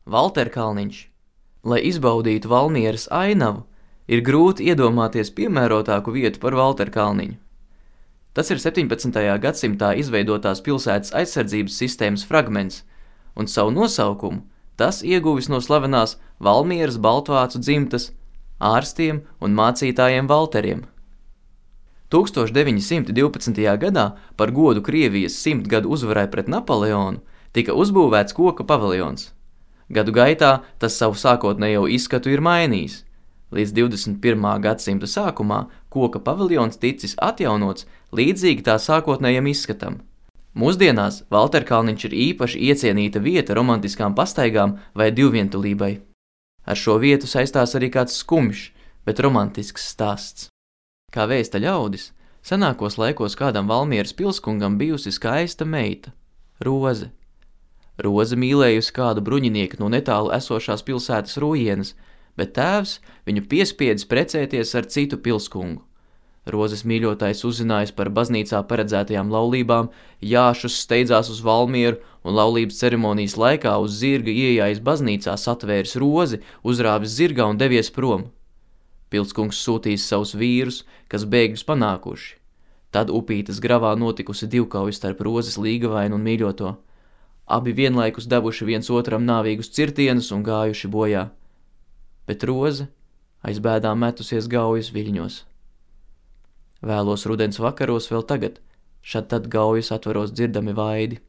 Valterkalniņš. Lai izbaudītu Valmieras ainavu, ir grūti iedomāties piemērotāku vietu par Valterkalniņu. Tas ir 17. gadsimtā izveidotās pilsētas aizsardzības sistēmas fragments, un savu nosaukumu tas ieguvis no slavenās Valmieras baltvācu dzimtas ārstiem un mācītājiem Valteriem. 1912. gadā par godu Krievijas 100 gadu uzvarai pret Napoleonu tika uzbūvēts koka paviljons. Gadu gaitā tas savu sākotnējo izskatu ir mainījis. Līdz 21. gadsimta sākumā koka paviljons ticis atjaunots līdzīgi tā sākotnējam izskatam. Mūsdienās Valterkalniņš ir īpaši iecienīta vieta romantiskām pastaigām vai divvientulībai. Ar šo vietu saistās arī kāds skumjš, bet romantisks stāsts. Kā vēsta ļaudis, senākos laikos kādam Valmieras pilskungam bijusi skaista meita – Roze. Roze mīlējusi kādu bruņinieku no netālu esošās pilsētas Rujienas, bet tēvs viņu piespiedis precēties ar citu pilskungu. Rozes mīļotājs uzzinājis par baznīcā paredzētajām laulībām, jāšus steidzās uz Valmieru un laulības ceremonijas laikā uz zirga iejājis baznīcā satvēris Rozi, uzrāvis zirgā un devies prom. Pilskungs sūtījis savus vīrus, kas bēgļus panākuši. Tad upītes gravā notikusi divkauja starp Rozes līgavainu un mīļoto. Abi vienlaikus devuši viens otram nāvīgus cirtienus un gājuši bojā. Bet Roze aiz bēdām metusies gaujas viļņos. Vēlos rudens vakaros vēl tagad, šad tad gaujas atvaros dzirdami vaidi.